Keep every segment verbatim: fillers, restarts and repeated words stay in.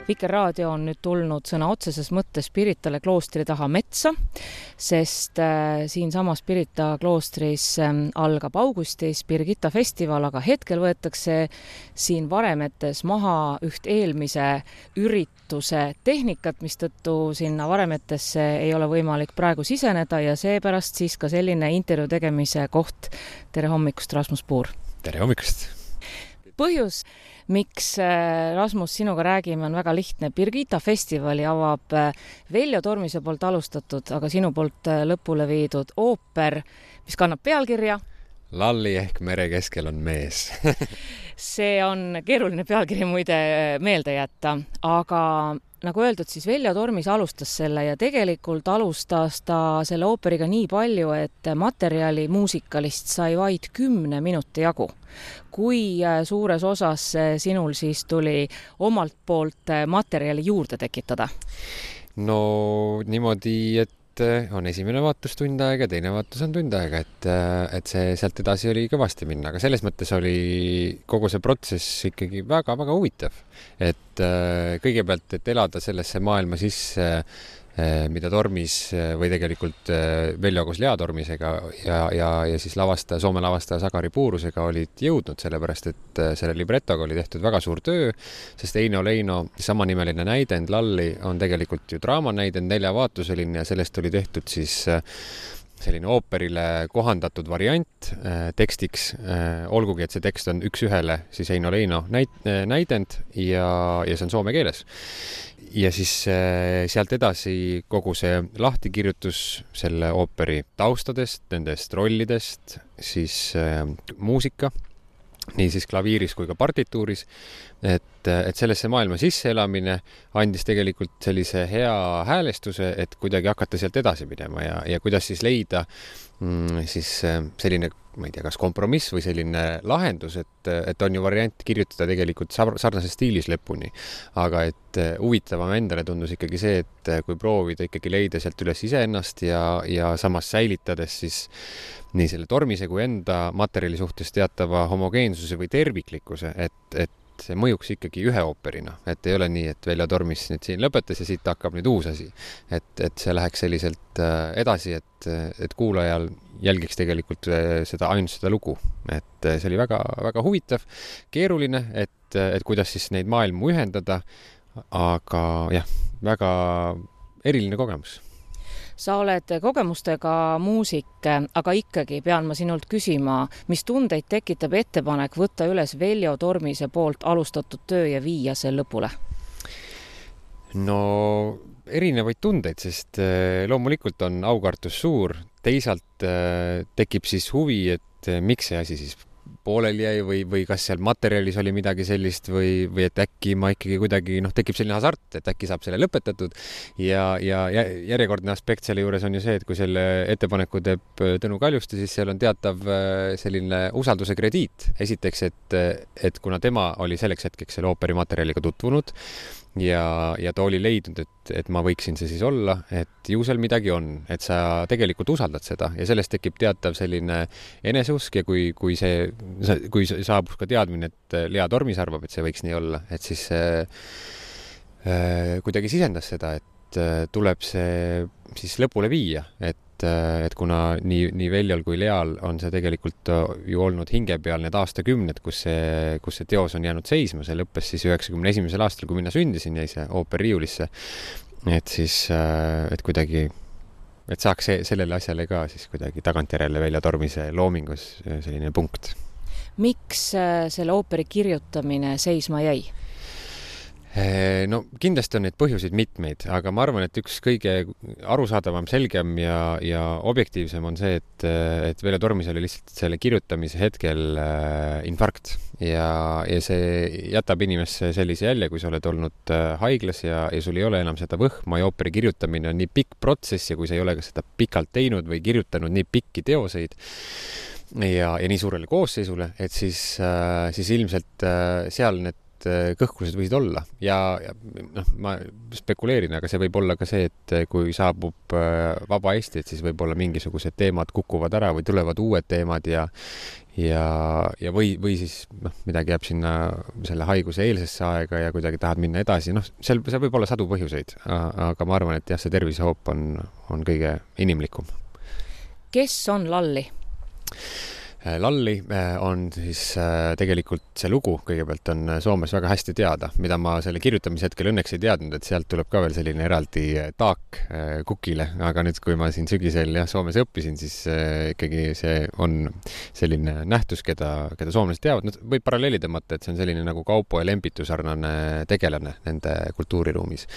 Vikerraadio on nüüd tulnud sõna otseses mõttes Piritale kloostri taha metsa, sest äh, siinsamas Pirita kloostris äh, algab augustis Birgitta festival, aga hetkel võetakse siin Varemetes maha üht eelmise ürituse tehnikat, mistõttu sinna Varemetesse ei ole võimalik praegu siseneda ja seepärast siis ka selline intervjuu tegemise koht. Tere hommikust, Rasmus Puur! Tere hommikust! Põhjus, miks Rasmus sinuga räägime, on väga lihtne. Birgitta festivali avab Veljo Tormise poolt alustatud, aga sinu poolt lõpule viidud ooper, mis kannab pealkirja Lalli ehk mere keskel on mees. See on keeruline pealkiri muide meelde jätta, aga nagu öeldud, siis Veljo Tormis alustas selle ja tegelikult alustas ta selle ooperiga nii palju, et materjali muusikalist sai vaid kümne minuti jagu. Kui suures osas sinul siis tuli omalt poolt materjali juurde tekitada? No niimoodi, et on esimene vaatus tund aega, teine vaatus on tund aega, et, et see sealt edasi oli kõvasti minna, aga selles mõttes oli kogu see protsess ikkagi väga-väga huvitav. Et kõigepealt, et elada sellesse maailma sisse, mida Tormis või tegelikult Veljo koos Lea Tormisega ja, ja, ja siis lavastaja, Soome lavastaja Sakari Puurusega olid jõudnud, sellepärast et selle libretoga oli tehtud väga suur töö, sest Eino Leino samanimeline näidend Lalli on tegelikult ju draamanäidend, neljavaatuseline ja sellest oli tehtud siis selline ooperile kohandatud variant tekstiks, olgugi, et see tekst on üks ühele siis Eino Leino näidend ja, ja see on soome keeles. Ja siis sealt edasi kogu see lahtikirjutus selle ooperi taustadest, nendest rollidest, siis muusika, nii siis klaviiris kui ka partituuris, et, et sellesse maailma sisseelamine andis tegelikult sellise hea häälestuse, et kuidagi hakata sealt edasi minema ja, ja kuidas siis leida mm, siis selline, ma ei tea, kas kompromiss või selline lahendus, et, et on ju variant kirjutada tegelikult sarnases stiilis lõpuni, aga et huvitavam endale tundus ikkagi see, et kui proovida ikkagi leida sealt üles iseennast ja, ja samas säilitades siis nii selle Tormise kui enda materjali suhtes teatava homogeensuse või terviklikkuse, et, et see mõjuks ikkagi ühe ooperina, et ei ole nii, et Veljo Tormis nüüd siin lõpetas ja siit hakkab nüüd uus asi. Et, et see läheks selliselt edasi, et, et kuulajal jälgiks tegelikult seda ainult seda lugu. Et see oli väga, väga huvitav, keeruline, et, et kuidas siis neid maailmu ühendada, aga jah, väga eriline kogemus. Sa oled kogemustega muusik, aga ikkagi pean ma sinult küsima, mis tundeid tekitab ettepanek võtta üles Veljo Tormise poolt alustatud töö ja viia see lõpule? No erinevaid tundeid, sest loomulikult on aukartus suur, teisalt tekib siis huvi, et miks see asi siis pooleli jäi või, või kas seal materjalis oli midagi sellist või, või et äkki ma ikkagi kuidagi, noh, tekib selline hasart, et äkki saab selle lõpetatud ja, ja järjekordne aspekt selle juures on ju see, et kui selle ettepaneku teeb Tõnu Kaljuste, siis seal on teatav selline usalduse krediit. Esiteks, et, et kuna tema oli selleks hetkeks selle ooperi materjaliga tutvunud ja, ja ta oli leidnud, et, et ma võiksin see siis olla, et ju seal midagi on, et sa tegelikult usaldad seda ja sellest tekib teatav selline eneseusk ja kui, kui see kui saabus ka teadmine, et Lea Tormis arvab, et see võiks nii olla, et siis äh, kuidagi sisendas seda, et äh, tuleb see siis lõpule viia, et, äh, et kuna nii, nii Veljol kui Leal on see tegelikult ju olnud hinge peal need aastakümned, kus see, kus see teos on jäänud seisma, see lõppes siis üheksakümne esimesel aastal, kui mina sündisin, jäi see ooper riiulisse, et siis, äh, et kuidagi et saaks see, sellele asjale ka siis kuidagi tagantjärele Veljo Tormise loomingus selline punkt. Miks selle ooperi kirjutamine seisma jäi? No kindlasti on neid põhjuseid mitmeid, aga ma arvan, et üks kõige arusaadavam, selgem ja, ja objektiivsem on see, et, et Veljo Tormis oli lihtsalt selle kirjutamise hetkel infarkt ja, ja see jätab inimesse sellise jälje, kui sa oled olnud haiglas ja, ja sul ei ole enam seda võhma ja ooperi kirjutamine on nii pikk protsess ja kui sa ei ole ka seda pikalt teinud või kirjutanud nii pikki teoseid ja, ja nii suurele koosseisule, et siis, siis ilmselt seal need kõhklused võisid olla ja, ja noh, ma spekuleerin, aga see võib olla ka see, et kui saabub vaba Eesti, et siis võib-olla mingisugused teemad kukuvad ära või tulevad uued teemad ja ja, ja või, või siis noh, midagi jääb sinna selle haiguse eelsesse aega ja kuidagi tahad minna edasi. Noh, seal, seal võib olla sadu põhjuseid, aga ma arvan, et jah, see tervisehoop on, on kõige inimlikum. Kes on Lalli? Lalli on siis tegelikult see lugu kõigepealt on Soomes väga hästi teada, mida ma selle kirjutamise hetkel õnneks ei teadnud, et sealt tuleb ka veel selline eraldi taak kukile, aga nüüd, kui ma siin sügisel jah, Soomes õppisin, siis ikkagi see on selline nähtus, keda, keda soomlased teavad. No, võib paralleeli tõmmata, et see on selline nagu Kaupo ja Lempitu sarnane tegelane nende kultuuriruumis.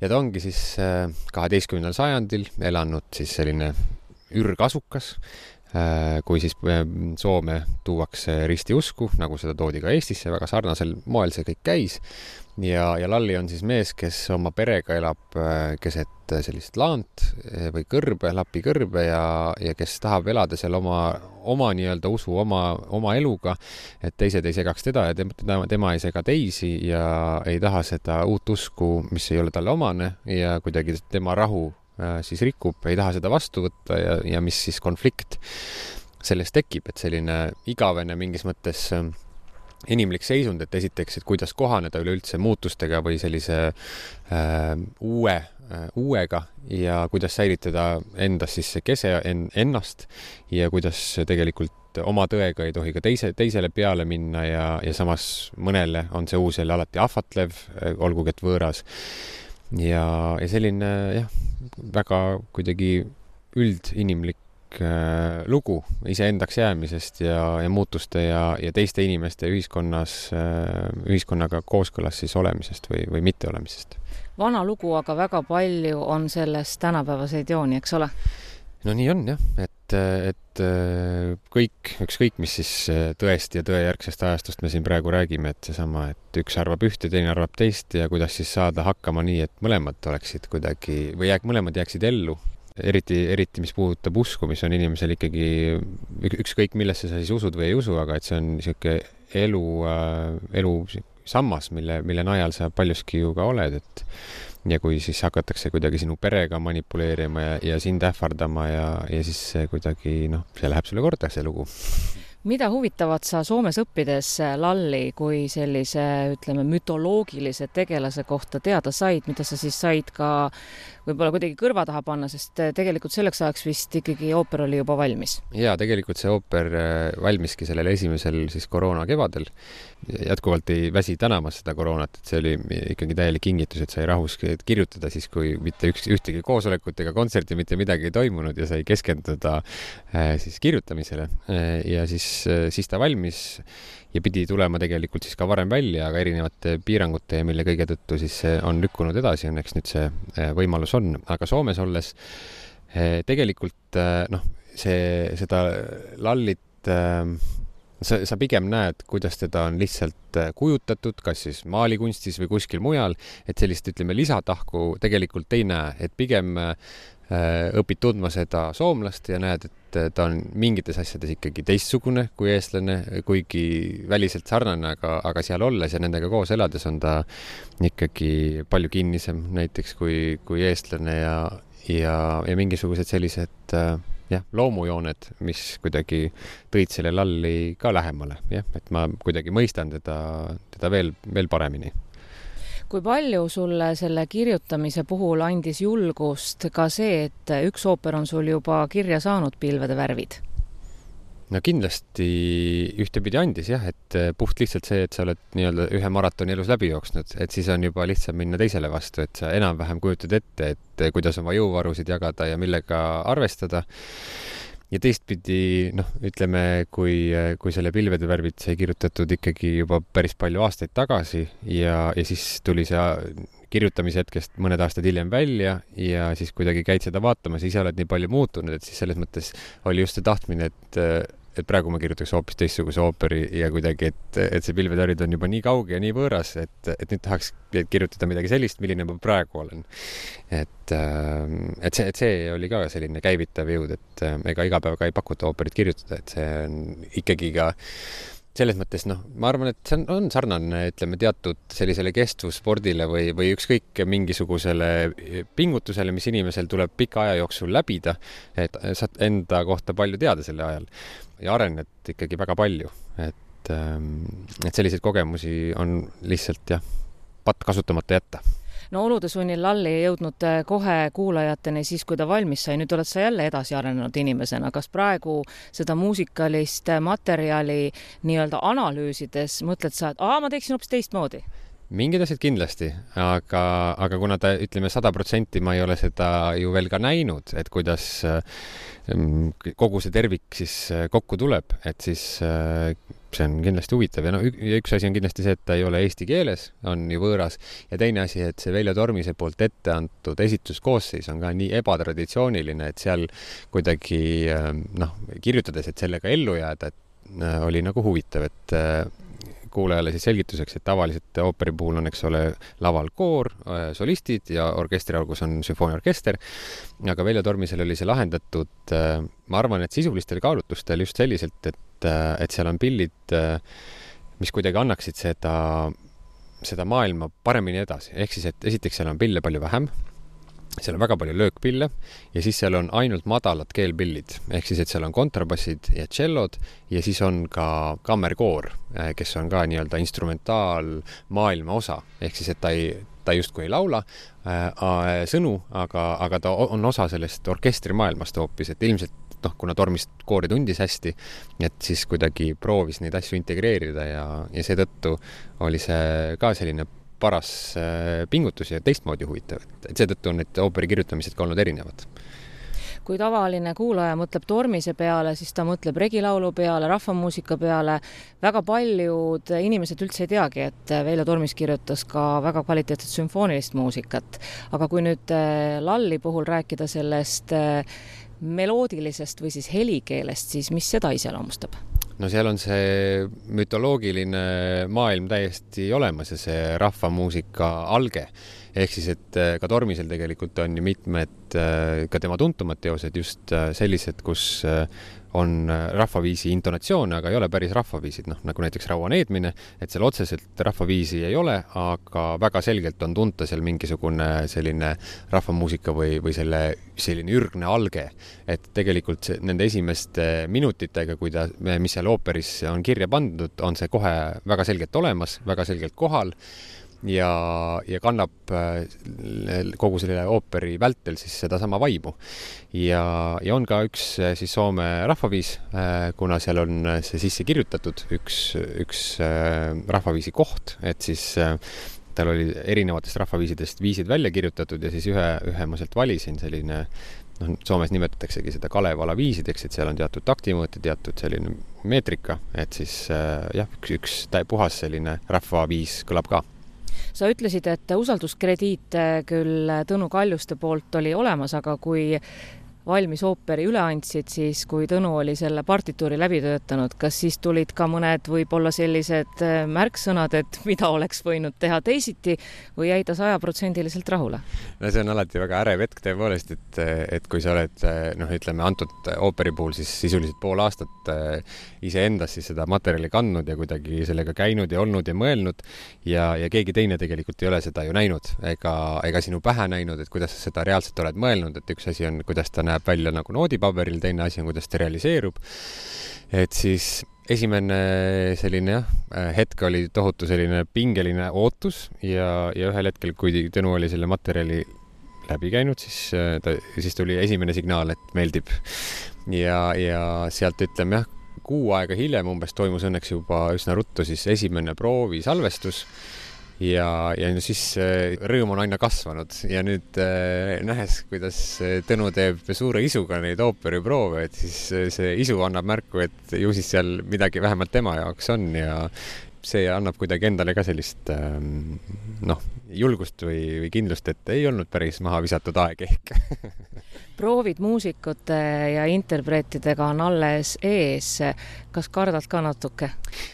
Ja ta ongi siis kaheteistkümnendal sajandil elanud siis selline ürgasukas, kui siis Soome tuuakse ristiusku, nagu seda toodi ka Eestisse, väga sarnasel moel see kõik käis. Ja, ja Lalli on siis mees, kes oma perega elab keset sellist laant või kõrbe, Lapi kõrbe ja, ja kes tahab elada seal oma, oma nii-öelda usu, oma, oma eluga, et teised ei segaks teda ja tema, tema ei sega teisi ja ei taha seda uut usku, mis ei ole talle omane ja kuidagi tema rahu siis rikub, ei taha seda vastu võtta ja, ja mis siis konflikt sellest tekib, et selline igavene mingis mõttes inimlik seisund, et esiteks, et kuidas kohaneda üleüldse muutustega või sellise äh, uue, äh, uuega ja kuidas säilitada endas siis see kese en, ennast ja kuidas tegelikult oma tõega ei tohi ka teise, teisele peale minna ja, ja samas mõnele on see uus jälle alati ahvatlev, olgugi et võõras. Ja, ja selline jah, väga kuidagi üldinimlik äh, lugu iseendaks jäämisest ja, ja muutuste ja, ja teiste inimeste ühiskonnas, äh, ühiskonnaga kooskõlas siis olemisest või, või mitte olemisest. Vana lugu, aga väga palju on sellest tänapäevaseid jooni, eks ole? No nii on jah, et, et kõik, ükskõik mis siis tõest ja tõejärgsest ajastust me siin praegu räägime, et seesama, et üks arvab ühte, teine arvab teist ja kuidas siis saada hakkama nii, et mõlemad oleksid kuidagi või jääk, mõlemad jääksid ellu. Eriti, eriti mis puudutab usku, mis on inimesel ikkagi ükskõik millesse sa siis usud või ei usu, aga et see on niisugune elu, elu sammas, mille, mille najal sa paljuski ju ka oled, et ja kui siis hakatakse kuidagi sinu perega manipuleerima ja, ja sind ähvardama ja, ja siis kuidagi, noh, see läheb sulle korda, see lugu. Mida huvitavat sa Soomes õppides Lalli kui sellise, ütleme, mütoloogilise tegelase kohta teada said, mida sa siis said ka võib-olla kuidagi kõrva taha panna, sest tegelikult selleks ajaks vist ikkagi ooper oli juba valmis? Jaa, tegelikult see ooper valmiski sellel esimesel siis koroona kevadel. Jätkuvalt ei väsi tänamas seda koroonat, et see oli ikkagi täielik kingitus, et sai rahus kirjutada siis, kui mitte üks, ühtegi koosolekut ega kontserti mitte midagi ei toimunud ja sai keskenduda siis kirjutamisele ja siis, siis ta valmis ja pidi tulema tegelikult siis ka varem välja, aga erinevate piirangute ja mille kõige tõttu siis on lükkunud edasi, õnneks nüüd see võimalus on. Aga Soomes olles tegelikult noh, see, seda Lallit sa, sa pigem näed, kuidas teda on lihtsalt kujutatud, kas siis maalikunstis või kuskil mujal, et sellist, ütleme, lisatahku tegelikult ei näe, et pigem õpid tundma seda soomlast ja näed, et ta on mingites asjades ikkagi teistsugune kui eestlane, kuigi väliselt sarnane, aga, aga seal olles ja nendega koos elades on ta ikkagi palju kinnisem näiteks kui, kui eestlane ja, ja, ja mingisugused sellised jah, loomujooned, mis kuidagi tõid selle Lalli ka lähemale, jah, et ma kuidagi mõistan teda, teda veel, veel paremini. Kui palju sulle selle kirjutamise puhul andis julgust ka see, et üks ooper on sul juba kirja saanud, Pilvede värvid? No kindlasti ühtepidi andis jah, et puht lihtsalt see, et sa oled nii-öelda ühe maratoni elus läbi jooksnud, et siis on juba lihtsam minna teisele vastu, et sa enam-vähem kujutad ette, et kuidas oma jõuvarusid jagada ja millega arvestada. Ja teistpidi, noh, ütleme, kui, kui selle Pilvede värvid sai kirjutatud ikkagi juba päris palju aastaid tagasi ja, ja siis tuli see kirjutamise hetkest mõned aastad hiljem välja ja siis kuidagi käid seda vaatamas ja ise oled nii palju muutunud, et siis selles mõttes oli just see tahtmine, et, et praegu ma kirjutaks hoopis teistsuguse ooperi ja kuidagi, et, et see Pilvede värvid on juba nii kauge ja nii võõras, et, et nüüd tahaks kirjutada midagi sellist, milline ma praegu olen. Et, et, see, et see oli ka selline käivitav jõud, et ega iga päev ka ei pakuta ooperit kirjutada, et see on ikkagi ka selles mõttes, noh, ma arvan, et see on, on sarnane, ütleme, teatud sellisele kestvusspordile või, või ükskõik mingisugusele pingutusele, mis inimesel tuleb pika aja jooksul läbida, et saad enda kohta palju teada selle ajal ja arened ikkagi väga palju, et, et selliseid kogemusi on lihtsalt jah, patt kasutamata jätta. No olude sunnil Lalli ei jõudnud kohe kuulajateni siis, kui ta valmis sai. Nüüd oled sa jälle edasi arenenud inimesena. Kas praegu seda muusikalist materjali nii-öelda analüüsides mõtled sa, et aa, ma teeksin hoopis teistmoodi? Mingid asjad kindlasti, aga, aga kuna ta, ütleme, sada protsenti ma ei ole seda ju veel ka näinud, et kuidas kogu see tervik siis kokku tuleb, et siis see on kindlasti huvitav. Ja, no, ja üks asi on kindlasti see, et ta ei ole eesti keeles, on ju võõras. Ja teine asi, et see Veljo Tormise poolt ette antud esituskoosseis on ka nii ebatraditsiooniline, et seal kuidagi noh, kirjutades, et sellega ellu jääda, et oli nagu huvitav, et kuulajale siis selgituseks, et tavaliselt ooperi puhul on, eks ole, laval koor, solistid ja orkestri algus on sümfooniaorkester, aga Veljo Tormisel oli see lahendatud, ma arvan, et sisulistel kaalutlustel just selliselt, et, et seal on pillid, mis kuidagi annaksid seda, seda maailma paremini edasi. Ehk siis, et esiteks seal on pille palju vähem, seal on väga palju löökpille ja siis seal on ainult madalad keelpillid. Ehk siis, et seal on kontrabassid ja tšellod ja siis on ka kammerkoor, kes on ka nii-öelda instrumentaal maailma osa. Ehk siis, et ta ei, ta justkui ei laula äh, sõnu, aga, aga ta on osa sellest orkestrimaailmast hoopis, et ilmselt noh, kuna Tormist koori tundis hästi, et siis kuidagi proovis neid asju integreerida ja, ja seetõttu oli see ka selline paras pingutus ja teistmoodi huvitav. Et seetõttu on need ooperi kirjutamised ka olnud erinevad. Kui tavaline kuulaja mõtleb Tormise peale, siis ta mõtleb regilaulu peale, rahvamuusika peale. Väga paljud inimesed üldse ei teagi, et Veljo Tormis kirjutas ka väga kvaliteetset sümfoonilist muusikat. Aga kui nüüd Lalli puhul rääkida sellest meloodilisest või siis helikeelest, siis mis seda iseloomustab? No seal on see mütoloogiline maailm täiesti olemas ja see rahvamuusika alge. Ehk siis, et ka Tormisel tegelikult on ju mitmed ka tema tuntumad teosed just sellised, kus on rahvaviisi intonatsioone, aga ei ole päris rahvaviisid, noh, nagu näiteks Raua needmine, et seal otseselt rahvaviisi ei ole, aga väga selgelt on tunta seal mingisugune selline rahvamuusika või, või selle selline ürgne alge, et tegelikult see, nende esimeste minutitega, kui ta, mis seal ooperis on kirja pandud, on see kohe väga selgelt olemas, väga selgelt kohal ja, ja kannab kogu selle ooperi vältel siis seda sama vaimu. Ja, ja on ka üks siis Soome rahvaviis, kuna seal on see sisse kirjutatud üks, üks rahvaviisi koht, et siis tal oli erinevatest rahvaviisidest viisid välja kirjutatud ja siis ühe, ühe ma sealt valisin selline, noh, Soomes nimetataksegi seda Kalevala viisideks, et seal on teatud taktimõõte, teatud selline meetrika, et siis jah, üks, üks puhas selline rahvaviis kõlab ka. Sa ütlesid, et usalduskrediit küll Tõnu Kaljuste poolt oli olemas, aga kui valmis ooperi üle andsid, siis kui Tõnu oli selle partituuri läbi töötanud, kas siis tulid ka mõned võib-olla sellised märksõnad, et mida oleks võinud teha teisiti või jäi ta sajaprotsendiliselt rahule? No see on alati väga ärev hetk tõepoolest, et, et kui sa oled, noh, ütleme, antud ooperi puhul siis sisuliselt pool aastat iseendas siis seda materjali kandnud ja kuidagi sellega käinud ja olnud ja mõelnud ja, ja keegi teine tegelikult ei ole seda ju näinud ega, ega sinu pähe näinud, et kuidas sa seda reaalselt oled mõelnud, et üks asi on, kuidas ta näeb välja nagu noodipaberil, teine asi on, kuidas ta realiseerub. Et siis esimene selline jah, hetk oli tohutu selline pingeline ootus ja, ja ühel hetkel, kui Tõnu oli selle materjali läbi käinud, siis, ta, siis tuli esimene signaal, et meeldib. Ja, ja sealt ütleme jah, kuu aega hiljem umbes toimus õnneks juba üsna ruttu siis esimene proovi salvestus. Ja, ja siis rõõm on aina kasvanud ja nüüd nähes, kuidas Tõnu teeb suure isuga neid ooperiproove, et siis see isu annab märku, et ju siis seal midagi vähemalt tema jaoks on ja, see annab kuidagi endale ka sellist noh, julgust või, või kindlust, et ei olnud päris maha visatud aeg ehk. Proovid muusikute ja interpreetidega on alles ees. Kas kardad ka natuke?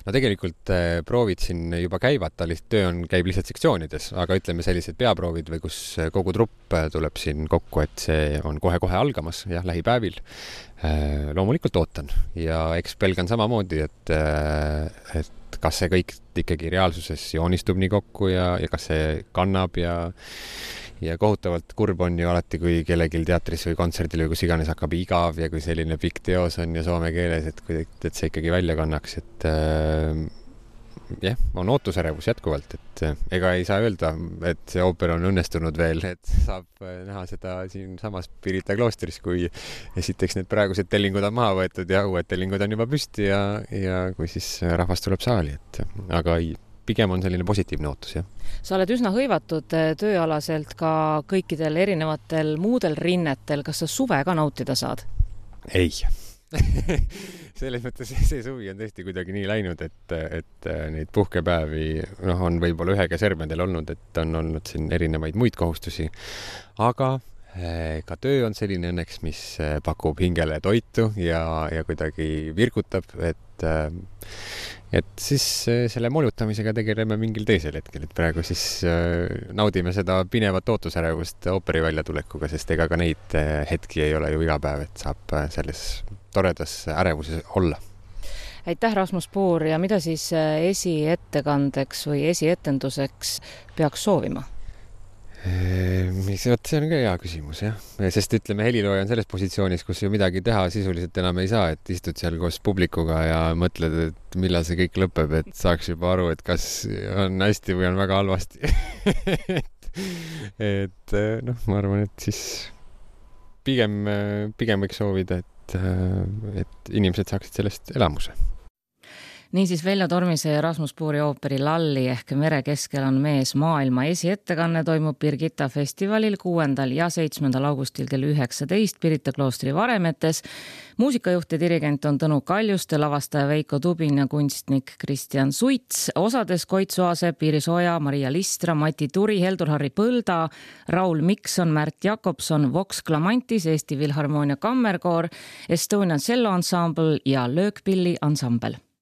No tegelikult proovid siin juba käivad, ta lihtsalt töö on, käib lihtsalt sektsioonides, aga ütleme sellised peaproovid või kus kogu trupp tuleb siin kokku, et see on kohe-kohe algamas, jah, lähipäevil. Loomulikult ootan ja eks pelgan samamoodi, et, et kas see kõik ikkagi reaalsuses joonistub nii kokku ja, ja kas see kannab ja ja kohutavalt kurb on ju alati, kui kellelgi teatris või kontserdil või kus iganes hakkab igav ja kui selline pikk teos on ja soome keeles, et, et see ikkagi välja kannaks, et äh, jah, on ootusärevus jätkuvalt, et ega ei saa öelda, et see ooper on õnnestunud veel, et saab näha seda siin samas Pirita kloostris, kui esiteks need praegused tellingud on maha võetud ja uued tellingud on juba püsti ja, ja kui siis rahvas tuleb saali, et aga ei, pigem on selline positiivne ootus, jah. Sa oled üsna hõivatud tööalaselt ka kõikidel erinevatel muudel rinnetel. Kas sa suve ka nautida saad? Ei. Selles mõttes see suvi on tõesti kuidagi nii läinud, et, et neid puhkepäevi noh, on võib-olla ühe käsermedel olnud, et on olnud siin erinevaid muid kohustusi. Aga ka töö on selline õnneks, mis pakub hingele toitu ja, ja kuidagi virgutab, et et siis selle molutamisega tegeleme mingil teisel hetkel, et praegu siis naudime seda pinevat ootusärevust ooperi väljatulekuga, sest ega ka neid hetki ei ole ju iga päev, et saab selles toredas ärevuses olla. Aitäh, Rasmus Puur, ja mida siis esiettekandeks või esietenduseks peaks soovima? Mis, see on ka hea küsimus, jah. Sest ütleme, helilooja on selles positsioonis, kus ju midagi teha sisuliselt enam ei saa, et istud seal koos publikuga ja mõtled, et millal see kõik lõpeb, et saaks juba aru, et kas on hästi või on väga halvasti. et, et noh, ma arvan, et siis pigem, pigem võiks soovida, et, et inimesed saaksid sellest elamuse. Niisiis Veljo Tormise ja Rasmus Puuri ooperi Lalli ehk Mere keskel on mees maailma esiettekanne toimub Birgitta festivalil kuuendal ja seitsmendal augustil kell üheksateist Pirita kloostri varemetes. Muusikajuht ja dirigent on Tõnu Kaljuste, lavastaja Veiko Tubin ja kunstnik Kristjan Suits. Osades Koit Soasepp, Iris Oja, Maria Listra, Mati Turi, Heldur-Harri Põlda, Raul Mikson, Märt Jakobson, Vox Clamantis, Eesti Filharmoonia Kammerkoor, Estonian Cello Ensemble ja Löökpilli ansambel.